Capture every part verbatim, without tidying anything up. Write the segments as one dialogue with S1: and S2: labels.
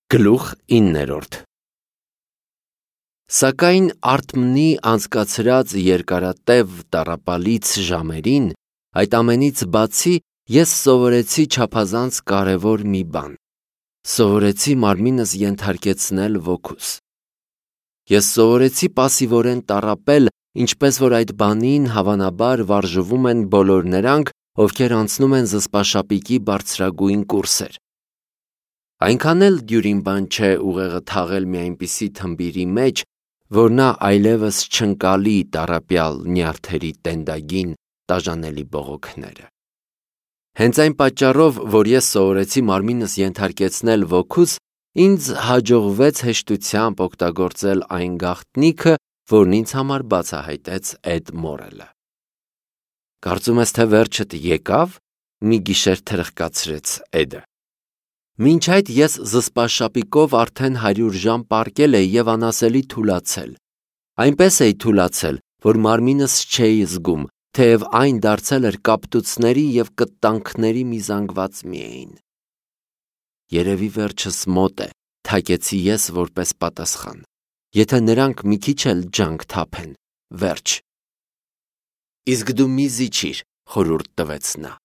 S1: Գլուխ իններորդ Սակայն Արթմնի անցկացրած երկարատև տառապալից ժամերին, այդ ամենից բացի, ես սովորեցի չափազանց կարևոր մի բան. սովորեցի մարմինս ենթարկեցնել ոգուս։ Ես սովորեցի պասիվորեն տառապել, ինչպես որ այդ բանին հավանաբար վարժվում են բոլոր նրանք, ովքեր անցնում են զսպաշապիկի բարձրագույն կուրսեր։ Այնքան էլ դյուրին բան չէ ուղեղը թաղել մի այնպիսի թմբիրի մեջ, որ նա այլևս չընկալի տառապյալ նյարդերի տենդագին տաժանելի բողոքները։ Հենց այն պատճառով, որ ես սովորեցի մարմինս ենթարկեցնել ոգուս, ինձ հաջողվեց հեշտությամբ օգտագործել այն գաղտնիքը, որն ինձ համար բացահայտեց Էդ Մորելը։ Կարծում ես, թե վերջդ եկավ, մի գիշեր թրխկացրեց Էդը։ Մինչ այդ ես զսպաշապիկով արդեն հարյուր ժամ պառկել էի և անասելի թուլացել։ Այնպես էի թուլացել, որ մարմինս չէի զգում, թեև այն դարձել էր կապտուцների և կտանքների մի զանգված միայն։ Երևի վերջս մոտ է, թակեցի ես որպես պատասխան։ Եթե նրանք մի քիչ էլ ջանք թափեն, վերջ։ Իսկ դու մի զիջիր, խորհուրդ տվեց նա։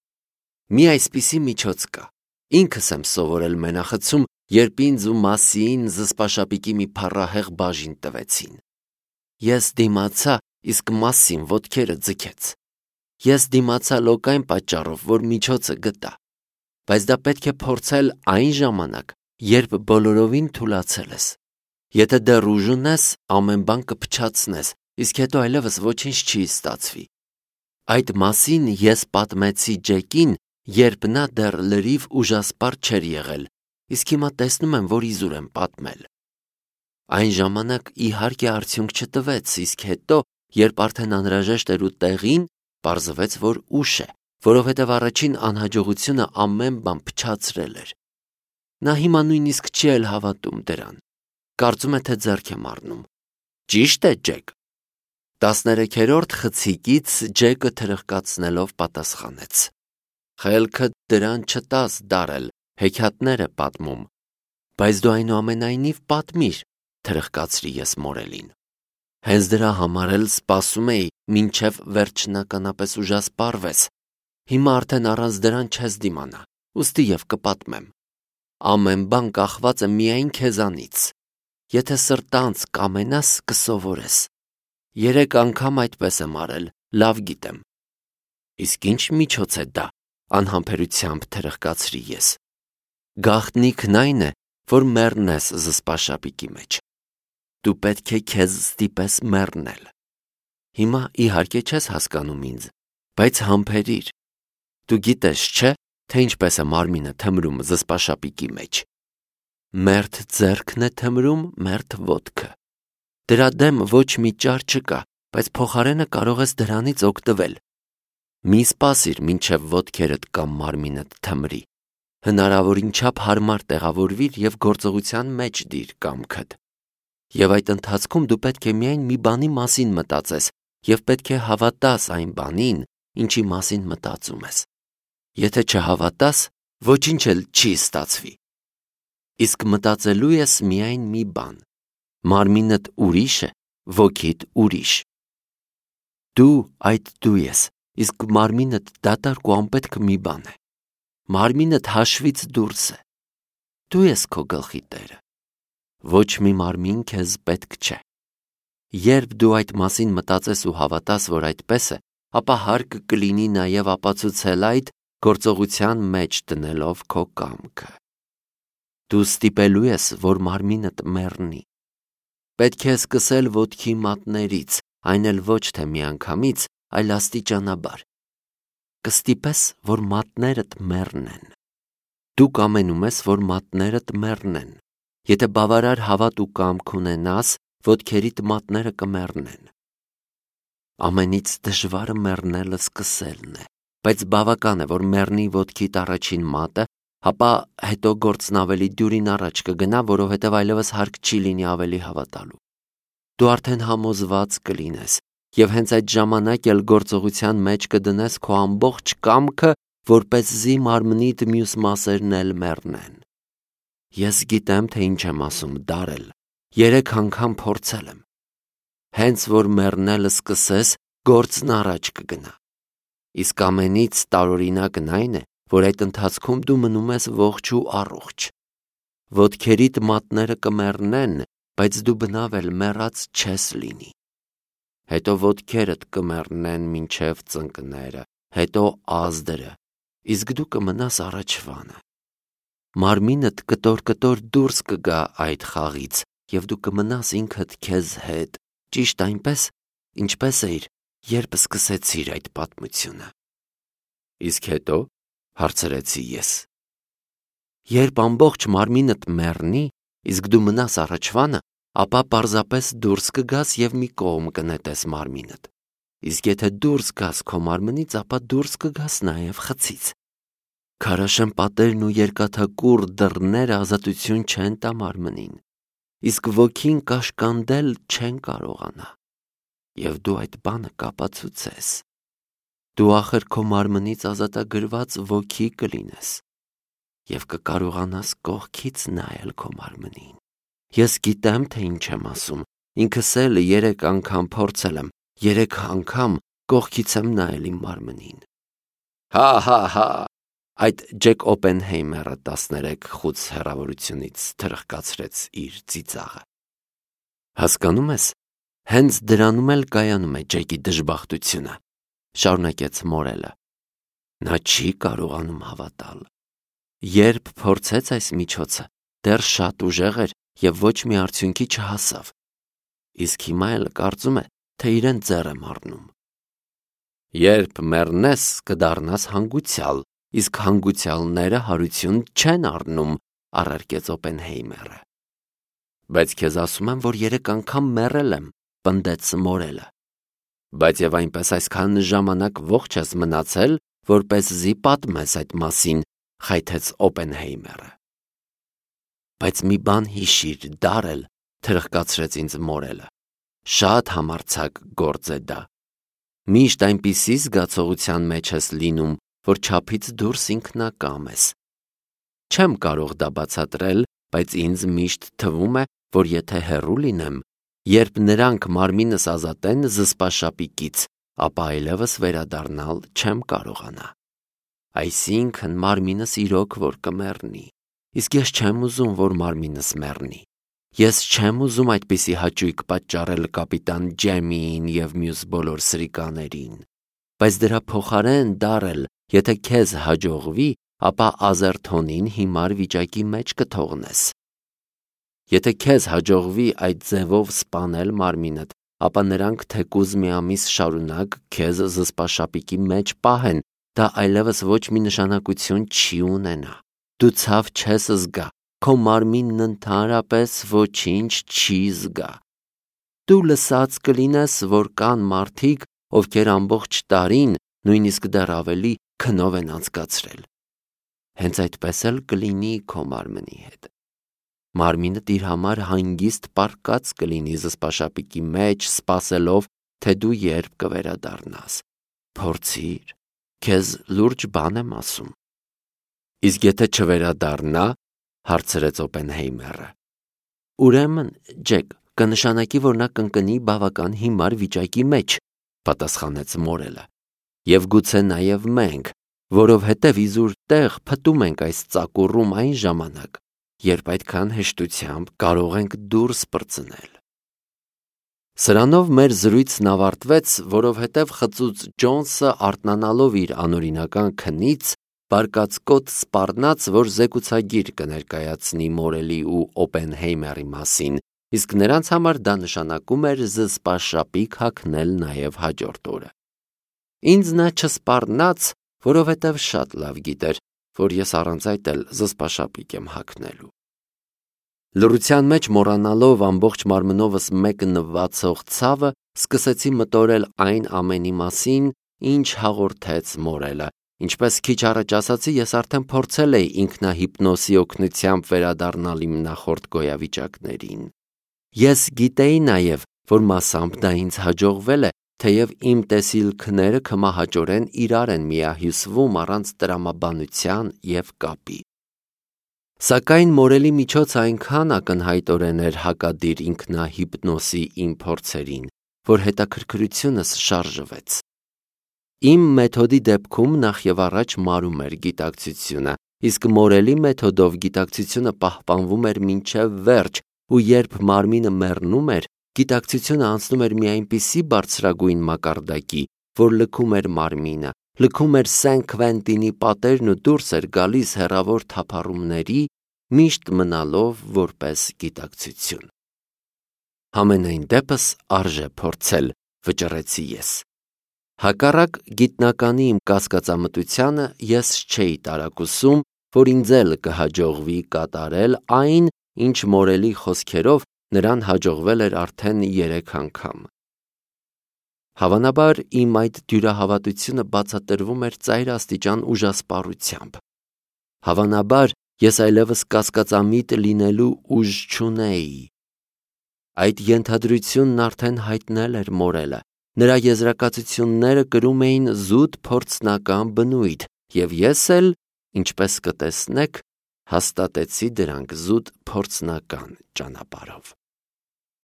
S1: Մի այսպիսի միջոց կա։ Ինքս եմ սովորել մենախցում, երբ ինձ ու Մասիին զսպաշապիկի մի փառահեղ բաժին տվեցին։ Ես դիմացա, իսկ Մասին ոտքերը ձգեց։ Ես դիմացա լոկ այն պատճառով, որ միջոցը գտա։ Բայց դա պետք է փորձել այն ժամանակ, երբ բոլորովին թուլացել ես։ Եթե դեռ ուժ ունես, ամեն բան կփչացնես, իսկ հետո այլևս ոչինչ չի ստացվի։ Այդ մասին ես պատմեցի Ջեկին, երբ նա դեռ լրիվ ուժասպառ չէր եղել, իսկ հիմա տեսնում եմ, որ իզուր եմ պատմել։ Այն ժամանակ իհարկե արդյունք չտվեց, իսկ հետո, երբ արդեն անհրաժեշտ էր ու տեղին, պարզվեց, որ ուշ է, որովհետև առաջին անհաջողությունը ամեն բան փչացրել էր։ Նա հիմա նույնիսկ չի էլ հավատում դրան։ Կարծում է, թե ձեռք եմ առնում։ Ճիշտ է, Ջեք։ Տասներեքերորդ խցիկից Ջեկը թրխկացնելով պատասխանեց. Խելքը դրան չտաս դարել, հեքիաթներ է պատմում, բայց դու այնուամենայնիվ պատմիր, թրխկացրի ես Մորելին։ Հենց դրա համար էլ սպասում էի, մինչև վերջնականապես ուժասպառվես։ Հիմա արդեն առանց դրան չես դիմանա, ուստի և կպատմեմ։ Ամեն բան կախված է միայն քեզանից։ Եթե սրտանց կամենաս, կսովորես։ Երեք անգամ այդպես եմ արել, լավ գիտեմ։ Իսկ ինչ միջոց է դա, անհամբերությամբ թրխկացրի ես։ Գաղտնիքն այն է, որ մեռնես զսպաշապիկի մեջ։ Դու պետք է քեզ ստիպես մեռնել։ Հիմա իհարկե չես հասկանում ինձ, բայց համբերիր։ Դու գիտես, չէ՞, թե ինչպես է մարմինը թմրում զսպաշապիկի մեջ։ Մերթ ձեռքն է թմրում, մերթ ոտքը։ Դրա դեմ ոչ մի ճար չկա, բայց փոխարենը կարող ես դրանից օգտվել։ Մի սպասիր, մինչև ոտքերդ կամ մարմինդ թմրի։ Հնարավորին չափ հարմար տեղավորվիր և գործողության մեջ դիր կամքդ։ Եվ այդ ընթացքում դու պետք է միայն մի բանի մասին մտածես և պետք է հավատաս այն բանին, ինչի մասին մտածում ես։ Եթե չհավատաս, ոչինչ էլ չի ստացվի։ Իսկ մտածելու ես միայն մի բան. մարմինդ ուրիշ է, ոգիդ ուրիշ։ Դու այդ դու ես, իսկ մարմինդ դատարկ ու անպետք մի բան է։ Մարմինդ հաշվից դուրս է։ Դու ես քո գլխի տերը։ Ոչ մի մարմին քեզ պետք չէ։ Երբ դու այդ մասին մտածես ու հավատաս, որ այդպես է, ապա հարկ կլինի նաև ապացուցել այդ, գործողության մեջ դնելով քո կամքը։ Դու ստիպելու ես, որ մարմինդ մեռնի։ Պետք է սկսել ոտքի մատներից, այն էլ ոչ թե միանգամից, այլ աստիճանաբար։ Կստիպես, որ մատներդ մեռնեն։ Դու կամենում ես, որ մատներդ մեռնեն։ Եթե բավարար հավատ ու կամք ունենաս, ոտքերիդ մատները կմեռնեն։ Ամենից դժվարը մեռնելը սկսելն է, բայց բավական է, որ մեռնի ոտքիդ առաջին մատը, ապա հետո գործն ավելի դյուրին առաջ կգնա, որովհետև այլևս հարկ չի լինի ավելի հավատալու։ Դու արդեն համոզված կլինես, և հենց այդ ժամանակ էլ գործողության մեջ կդնես քո ամբողջ կամքը, որպեսզի մարմնիդ մյուս մասերն էլ մեռնեն։ Ես գիտեմ, թե ինչ եմ ասում, Դարել, երեք անգամ փորձել եմ։ Հենց որ մեռնելը սկսես, գործն առաջ կգնա։ Իսկ ամենից տարօրինակն այն է, որ այդ ընթացքում դու մնում ես ողջ ու առողջ։ Ոտքերիդ մատները կմեռնեն, բայց դու բնավ էլ մեռած չես լինի։ Հետո ոտքերդ կմեռնեն մինչև ծնկները, հետո ազդրը, իսկ դու կմնաս առաջվանը։ Մարմինդ կտոր-կտոր դուրս կգա այդ խաղից, և դու կմնաս ինքդ քեզ հետ, ճիշտ այնպես, ինչպես էիր, երբ սկսեցիր այդ պատմությունը։ Իսկ հետո, հարցրեցի ես։ Երբ ամբողջ մարմինդ մեռնի, իսկ դու մնաս առաջվանը, ապա պարզապես դուրս կգաս և մի կողմ կնետես մարմինդ։ Իսկ եթե դուրս գաս քո մարմնից, ապա դուրս կգաս նաև խցից։ Քարաշեն պատերն ու երկաթակուռ դռները ազատություն չեն տա մարմնին, իսկ ոգին կաշկանդել չեն կարողանա։ Եվ դու այդ բանը կապացուցես։ Դու ախր քո մարմնից ազատագրված ոգի կլինես և կկարողանաս կողքից նայել քո մարմնին։ Ես գիտեմ, թե ինչ եմ ասում, ինքս էլ երեք անգամ փորձել եմ, երեք անգամ կողքից եմ նայել իմ մարմնին։ Հա, հա, հա, այդ Ջեք Օպենհեյմերը տասներեք խուց հեռավորությունից թրխկացրեց իր ծիծաղը։ Հասկանում ես, հենց դրանում էլ կայանում է Ջեկի դժբախտությունը, շարունակեց Մորելը։ Նա չի կարողանում հավատալ։ Երբ փորձեց այս միջոցը, դեռ շատ ուժեղ էր և ոչ մի արդյունքի չհասավ։ Իսկ հիմա էլ կարծում է, թե իրեն ձեռ եմ առնում։ Երբ մեռնես, կդառնաս հանգուցյալ, իսկ հանգուցյալները հարություն չեն առնում, առարկեց Օպենհեյմերը։ Բայց քեզ ասում եմ, որ երեք անգամ մեռել եմ, պնդեց Մորելը։ Բայց և այնպես այսքան ժամանակ ողջ ես մնացել, որպեսզի պատմես այդ մասին, խայթեց Օպենհեյմերը։ Բայց մի բան հիշիր, Դարել, թրխկացրեց ինձ Մորելը։ Շատ համարձակ գործ է դա։ Միշտ այնպիսի զգացողության մեջ ես լինում, որ չափից դուրս ինքնակամ ես։ Չեմ կարող դա բացատրել, բայց ինձ միշտ թվում է, որ եթե հեռու լինեմ, երբ նրանք մարմինս ազատեն զսպաշապիկից, ապա այլևս վերադառնալ չեմ կարողանա։ Այսինքն մարմինս իրոք որ կմեռնի, իսկ ես չեմ ուզում, որ մարմինս մեռնի։ Ես չեմ ուզում այդպիսի հաճույք պատճառել կապիտան Ջեմիին և մյուս բոլոր սրիկաներին։ Բայց դրա փոխարեն, Դարել, եթե քեզ հաջողվի, ապա Ազերթոնին հիմար վիճակի մեջ կթողնես։ Եթե քեզ հաջողվի այդ ձևով սպանել մարմինդ, ապա նրանք թեկուզ մի ամիս շարունակ քեզ զսպաշապիկի մեջ պահեն, դա այլևս ոչ մի նշանակություն չի ունենա։ Դու ցավ չես զգա, քո մարմինն ընդհանրապես ոչինչ չի զգա։ Դու լսած կլինես, որ կան մարդիկ, ովքեր ամբողջ տարին, նույնիսկ դեռ ավելի, քնով են անցկացրել։ Հենց այդպես էլ կլինի քո մարմնի հետ։ Մարմինդ իր համար հանգիստ պառկած կլինի զսպաշապիկի մեջ, սպասելով, թե դու երբ կվերադառնաս։ Փորձիր, քեզ լուրջ բան եմ ասում։ Իսկ եթե չվերադառնա, հարցրեց Օպենհեյմերը։ Ուրեմն, Ջեք, կնշանակի, որ նա կընկնի բավական հիմար վիճակի մեջ, պատասխանեց Մորելը։ Եվ գուցե նաև մենք, որովհետև իզուր տեղ փտում ենք այս ծակուռում այն ժամանակ, երբ այդքան հեշտությամբ կարող ենք դուրս պրծնել։ Սրանով մեր զրույցն ավարտվեց, որովհետև խծուծ Ջոնսը արթնանալով իր անօրինական քնից, բարկացկոտ սպառնաց, որ զեկուցագիր կներկայացնի Մորելի ու Օպենհեյմերի մասին, իսկ նրանց համար դա նշանակում էր զսպաշապիկ հագնել նաև հաջորդ օրը։ Ինձ նա չսպառնաց, որովհետև շատ լավ գիտեր, որ ես առանց այդ էլ զսպաշապիկ եմ հագնելու։ Լռության մեջ մոռանալով ամբողջ մարմնովս մեկնվացող ցավը, սկսեցի մտորել այն ամենի մասին, ինչ հաղորդեց Մորելը, ինչպես քիչ առաջ ասացի, ես արդեն փորձել էի ինքնահիպնոսի օգնությամբ վերադառնալ իմ նախորդ գոյավիճակներին։ Ես գիտեի նաև, որ մասամբ դա ինձ հաջողվել է, թեև իմ տեսիլքները քմահաճորեն իրար են միահյուսվում առանց տրամաբանության և կապի։ Սակայն մորելի միջոց այնքան ակնհայտորեն էր հակադիր ինքնահիպնոսի իմ փորձերին, որ հետաքրքրությունս շարժվեց։ Իմ մեթոդի դեպքում նախ եւ առաջ մարում էր գիտակցությունը, իսկ մորելի մեթոդով գիտակցությունը պահպանվում էր մինչև վերջ, ու երբ մարմինը մեռնում էր, գիտակցությունը անցնում էր մի այնպիսի բարձրագույն մակարդակի, որ լքում էր մարմինը, լքում էր Սեն Քվենտինի պատերն ու դուրս էր գալիս հեռավոր թափառումների, միշտ մնալով որպես գիտակցություն։ Համենայն դեպս արժե փորձել, վճռեցի ես։ Հակառակ գիտնականի իմ կասկածամտությանը ես չէի տարակուսում, որ ինձ էլ կհաջողվի կատարել այն, ինչ մորելի խոսքերով նրան հաջողվել էր արդեն երեք անգամ։ Հավանաբար իմ այդ դյուրահավատությունը բացատրվում էր ծայրաստիճան ուժասպառությամբ։ Հավանաբար ես այլևս կասկածամիտ լինելու ուժ չունեի։ Այդ ենթադրությունն արդեն հայտնել էր մորելը, նրա եզրակացությունները կրում էին զուտ փորձնական բնույթ, և ես էլ, ինչպես կտեսնեք, հաստատեցի դրանք զուտ փորձնական ճանապարհով։